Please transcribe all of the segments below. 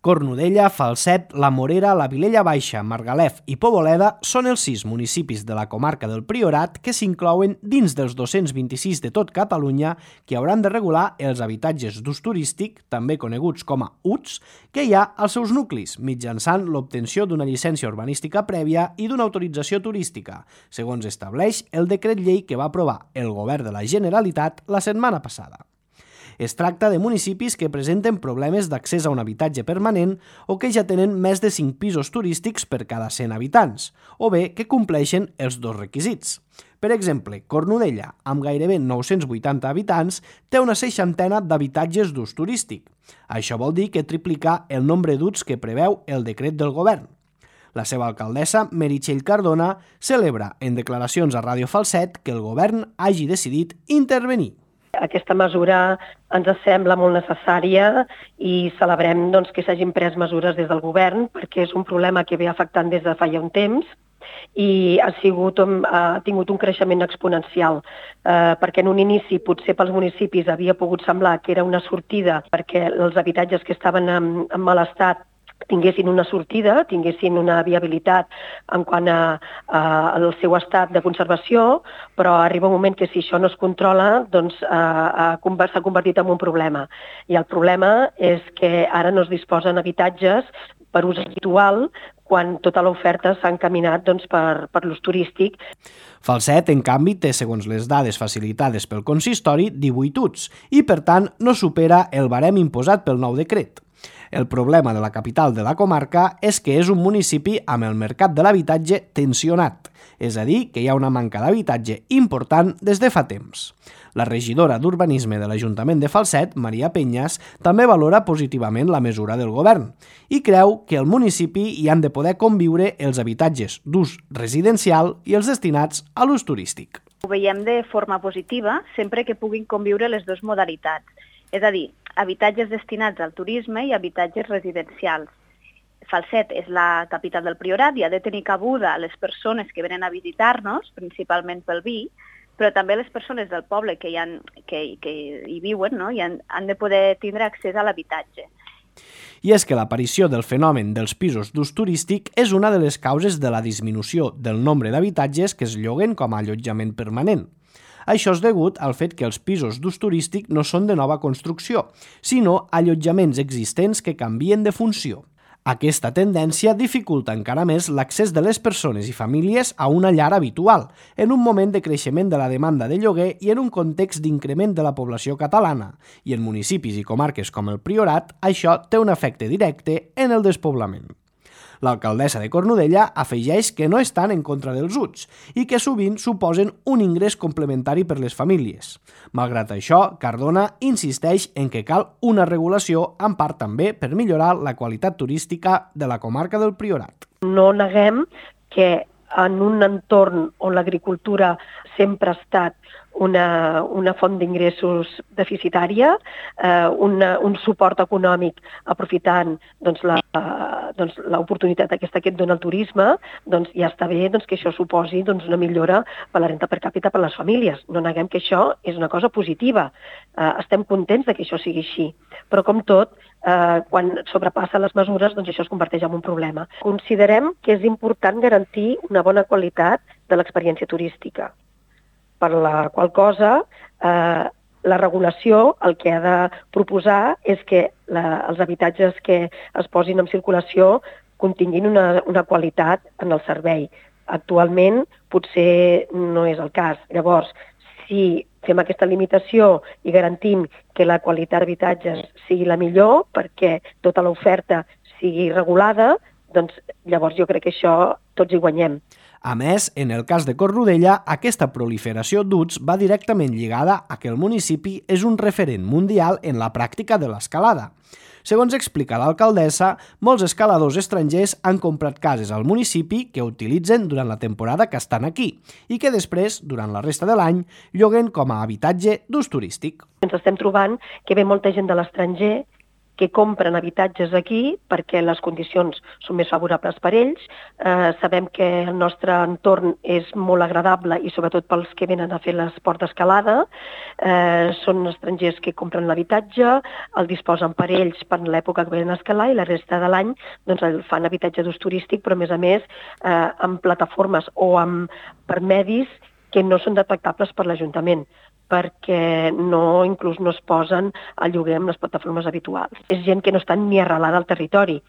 Cornudella, Falset, La Morera, la Vilella Baixa, Margalef i Poboleda són els 6 municipis de la comarca del Priorat que s'inclouen dins dels 226 de tot Catalunya que hauran de regular els habitatges d'ús turístic, també coneguts com a UTS, que hi ha als seus nuclis, mitjançant l'obtenció d'una llicència urbanística prèvia i d'una autorització turística, segons estableix el decret llei que va aprovar el Govern de la Generalitat la setmana passada. Es tracta de municipis que presenten problemes d'accés a un habitatge permanent o que ja tenen més de 5 pisos turístics per cada 100 habitants, o bé que compleixen els 2 requisits. Per exemple, Cornudella, amb gairebé 980 habitants, té una 60 d'habitatges d'ús turístic. Això vol dir que triplica el nombre d'UTS que preveu el decret del govern. La seva alcaldessa, Meritxell Cardona, celebra en declaracions a Ràdio Falset que el govern hagi decidit intervenir. Aquesta mesura ens sembla molt necessària i celebrem que s'hagin pres mesures des del govern perquè és un problema que ve afectant des de fa ja un temps i ha tingut un creixement exponencial perquè en un inici potser pels municipis havia pogut semblar que era una sortida perquè els habitatges que estaven en mal estat tinguessin una sortida, tinguessin una viabilitat en quant al seu estat de conservació, però arriba un moment que si això no es controla, doncs s'ha convertit en un problema. I el problema és que ara no es disposen habitatges per ús habitual quan tota l'oferta s'ha encaminat per l'ús turístic. Falset, en canvi, té, segons les dades facilitades pel consistori, 18 UTS i, per tant, no supera el barem imposat pel nou decret. El problema de la capital de la comarca és que és un municipi amb el mercat de l'habitatge tensionat, és a dir, que hi ha una manca d'habitatge important des de fa temps. La regidora d'Urbanisme de l'Ajuntament de Falset, Maria Penyas, també valora positivament la mesura del govern i creu que al municipi hi han de poder conviure els habitatges d'ús residencial i els destinats a l'ús turístic. Ho veiem de forma positiva sempre que puguin conviure les dues modalitats, és a dir, habitatges destinats al turisme i habitatges residencials. Falset és la capital del Priorat i ha de tenir cabuda les persones que venen a visitar-nos, principalment pel vi, però també les persones del poble que hi viuen, no? I han de poder tindre accés a l'habitatge. I és que l'aparició del fenomen dels pisos d'ús turístic és una de les causes de la disminució del nombre d'habitatges que es lloguen com a allotjament permanent. Això és degut al fet que els pisos d'ús turístic no són de nova construcció, sinó allotjaments existents que canvien de funció. Aquesta tendència dificulta encara més l'accés de les persones i famílies a una llar habitual, en un moment de creixement de la demanda de lloguer i en un context d'increment de la població catalana, i en municipis i comarques com el Priorat, això té un efecte directe en el despoblament. L'alcaldessa de Cornudella afegeix que no estan en contra dels UTS i que sovint suposen un ingrés complementari per les famílies. Malgrat això, Cardona insisteix en que cal una regulació, en part també per millorar la qualitat turística de la comarca del Priorat. No neguem que en un entorn on l'agricultura sempre ha estat una font d'ingressos deficitària, un suport econòmic aprofitant l'oportunitat aquesta que et dona el turisme, ja està bé que això suposi una millora per la renda per càpita per les famílies. No neguem que això és una cosa positiva. Estem contents que això sigui així. Però com tot, quan sobrepassa les mesures, això es converteix en un problema. Considerem que és important garantir una bona qualitat de l'experiència turística, per la qual cosa la regulació el que ha de proposar és que els habitatges que es posin en circulació continguin una qualitat en el servei. Actualment potser no és el cas. Llavors, si fem aquesta limitació i garantim que la qualitat d'habitatges sigui la millor perquè tota l'oferta sigui regulada, doncs llavors jo crec que això tots hi guanyem. A més, en el cas de Cornudella, aquesta proliferació d'UTS va directament lligada a que el municipi és un referent mundial en la pràctica de l'escalada. Segons explica l'alcaldessa, molts escaladors estrangers han comprat cases al municipi que utilitzen durant la temporada que estan aquí i que després, durant la resta de l'any, lloguen com a habitatge d'ús turístic. Ens estem trobant que ve molta gent de l'estranger que compren habitatges aquí perquè les condicions són més favorables per ells. Sabem que el nostre entorn és molt agradable i sobretot pels que venen a fer l'esport d'escalada. Són estrangers que compren l'habitatge, el disposen per ells per l'època que venen a escalar i la resta de l'any doncs, el fan habitatge d'ús turístic, però a més amb plataformes o per medis que no són detectables per l'Ajuntament, perquè inclús no es posen a lloguer amb les plataformes habituals. És gent que no està ni arrelada al territori.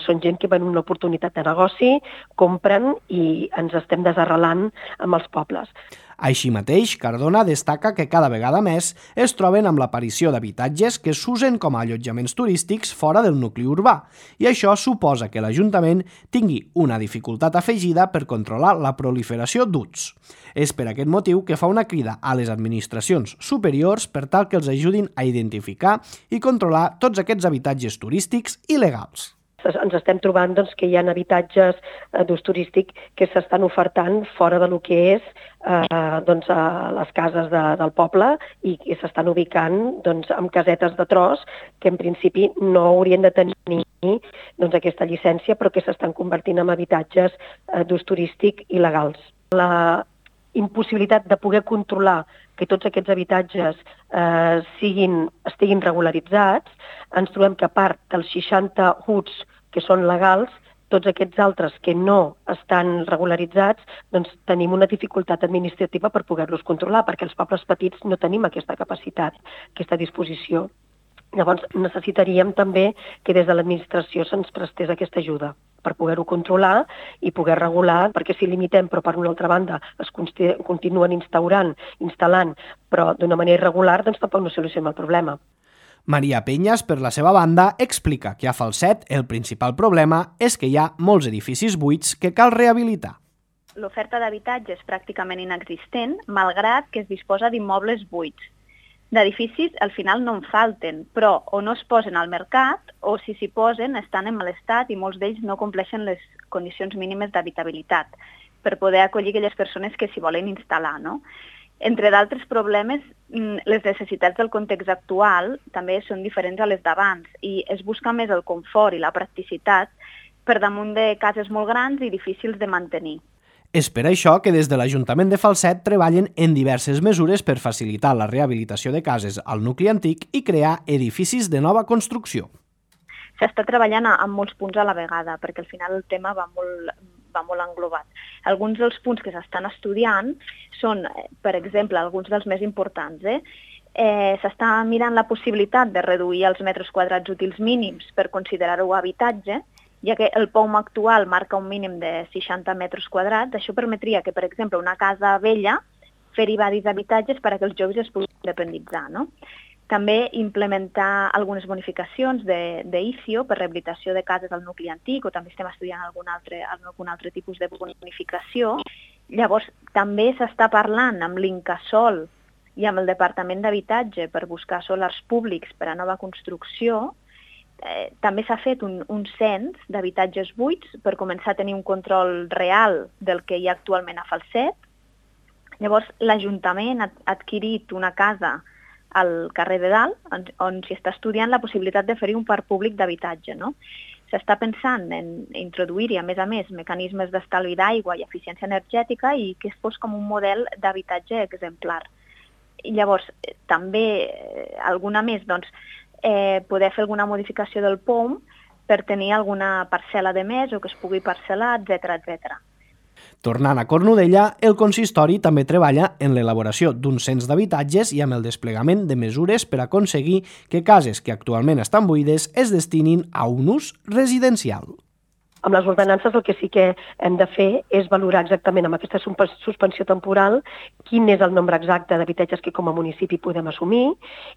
Són gent que ven una oportunitat de negoci, compren i ens estem desarrelant amb els pobles. Així mateix, Cardona destaca que cada vegada més es troben amb l'aparició d'habitatges que s'usen com a allotjaments turístics fora del nucli urbà, i això suposa que l'Ajuntament tingui una dificultat afegida per controlar la proliferació d'UTs. És per aquest motiu que fa una crida a les administracions superiors per tal que els ajudin a identificar i controlar tots aquests habitatges turístics il·legals. Ens estem trobant doncs, que hi ha habitatges d'ús turístic que s'estan ofertant fora del que és doncs, a les cases del poble i que s'estan ubicant doncs, amb casetes de tros que en principi no haurien de tenir doncs, aquesta llicència però que s'estan convertint en habitatges d'ús turístic il·legals. La impossibilitat de poder controlar que tots aquests habitatges estiguin regularitzats, ens trobem que a part dels 60 HUTs que són legals, tots aquests altres que no estan regularitzats, doncs tenim una dificultat administrativa per poder-los controlar, perquè els pobles petits no tenim aquesta capacitat, aquesta disposició. Llavors necessitaríem també que des de l'administració se'ns prestés aquesta ajuda per poder-ho controlar i poder regular, perquè si limitem però per una altra banda es continuen instal·lant, però d'una manera irregular, doncs tampoc no solucionem el problema. Maria Penyes, per la seva banda, explica que a Falset el principal problema és que hi ha molts edificis buits que cal rehabilitar. L'oferta d'habitatge és pràcticament inexistent, malgrat que es disposa d'immobles buits. D'edificis al final no en falten, però o no es posen al mercat o si s'hi posen estan en mal estat i molts d'ells no compleixen les condicions mínimes d'habitabilitat per poder acollir aquelles persones que s'hi volen instal·lar, no? Entre d'altres problemes, les necessitats del context actual també són diferents a les d'abans i es busca més el confort i la practicitat per damunt de cases molt grans i difícils de mantenir. És per això que des de l'Ajuntament de Falset treballen en diverses mesures per facilitar la rehabilitació de cases al nucli antic i crear edificis de nova construcció. S'està treballant en molts punts a la vegada, perquè al final el tema va molt englobat. Alguns dels punts que s'estan estudiant són, per exemple, alguns dels més importants. S'està mirant la possibilitat de reduir els metres quadrats útils mínims per considerar-ho habitatge, ja que el POUM actual marca un mínim de 60 metres quadrats. Això permetria que, per exemple, una casa vella fer-hi varis habitatges perquè els joves es puguin independitzar, no? També implementar algunes bonificacions d'ICIO per rehabilitació de cases al nucli antic, o també estem estudiant algun altre tipus de bonificació. Llavors, també s'està parlant amb l'Incasòl i amb el Departament d'Habitatge per buscar solars públics per a nova construcció. També s'ha fet un cens d'habitatges buits per començar a tenir un control real del que hi ha actualment a Falset. Llavors, l'Ajuntament ha adquirit una casa al carrer de Dalt, on s'hi està estudiant la possibilitat de fer-hi un parc públic d'habitatge, no? S'està pensant en introduir-hi, a més, mecanismes d'estalvi d'aigua i eficiència energètica i que es fos com un model d'habitatge exemplar. I llavors, també, alguna més, doncs, poder fer alguna modificació del POUM per tenir alguna parcel·la de més o que es pugui parcel·lar, etc. Tornant a Cornudella, el consistori també treballa en l'elaboració d'un cens d'habitatges i amb el desplegament de mesures per aconseguir que cases que actualment estan buides es destinin a un ús residencial. Amb les ordenances el que sí que hem de fer és valorar exactament amb aquesta suspensió temporal quin és el nombre exacte d'habitatges que com a municipi podem assumir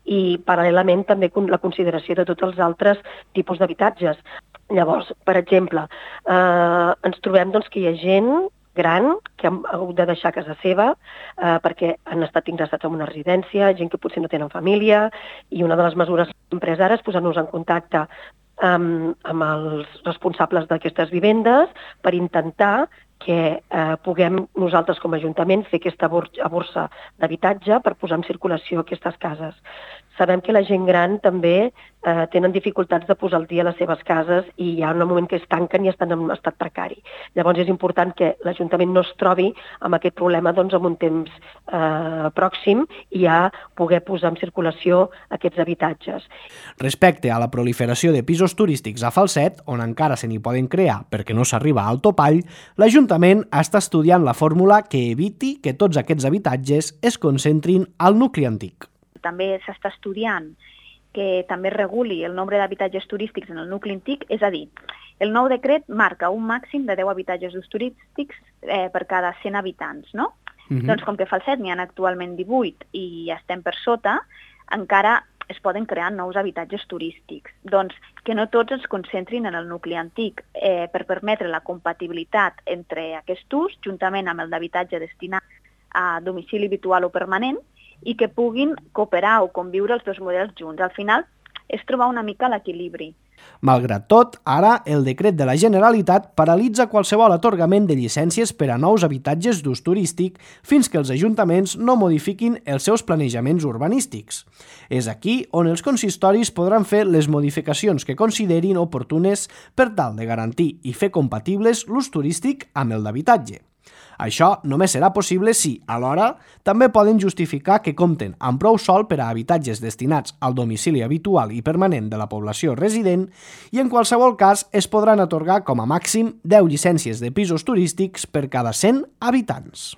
i paral·lelament també la consideració de tots els altres tipus d'habitatges. Llavors, per exemple, ens trobem doncs, que hi ha gent gran que han hagut de deixar casa seva perquè han estat ingressats en una residència, gent que potser no tenen família, i una de les mesures que hem pres ara és posar-nos en contacte amb els responsables d'aquestes vivendes per intentar que puguem nosaltres com a Ajuntament fer aquesta borsa d'habitatge per posar en circulació aquestes cases. sabem que la gent gran també tenen dificultats de posar al dia les seves cases i hi ha un moment que es tanquen i estan en estat precari. Llavors és important que l'Ajuntament no es trobi amb aquest problema en un temps pròxim i ja poder posar en circulació aquests habitatges. Respecte a la proliferació de pisos turístics a Falset, on encara se n'hi poden crear perquè no s'arriba al topall, l'Ajuntament està estudiant la fórmula que eviti que tots aquests habitatges es concentrin al nucli antic. També s'està estudiant que també reguli el nombre d'habitatges turístics en el nucli antic, és a dir, el nou decret marca un màxim de 10 habitatges d'ús turístics per cada 100 habitants, no? Doncs com que a Falset n'hi ha actualment 18 i estem per sota, encara es poden crear nous habitatges turístics. Doncs que no tots es concentrin en el nucli antic per permetre la compatibilitat entre aquest ús, juntament amb el d'habitatge destinat a domicili habitual o permanent, i que puguin cooperar o conviure els dos models junts. Al final és trobar una mica l'equilibri. Malgrat tot, ara el decret de la Generalitat paralitza qualsevol atorgament de llicències per a nous habitatges d'ús turístic fins que els ajuntaments no modifiquin els seus planejaments urbanístics. És aquí on els consistoris podran fer les modificacions que considerin oportunes per tal de garantir i fer compatibles l'ús turístic amb el d'habitatge. Això només serà possible si, alhora, també poden justificar que compten amb prou sòl per a habitatges destinats al domicili habitual i permanent de la població resident i, en qualsevol cas, es podran atorgar com a màxim 10 llicències de pisos turístics per cada 100 habitants.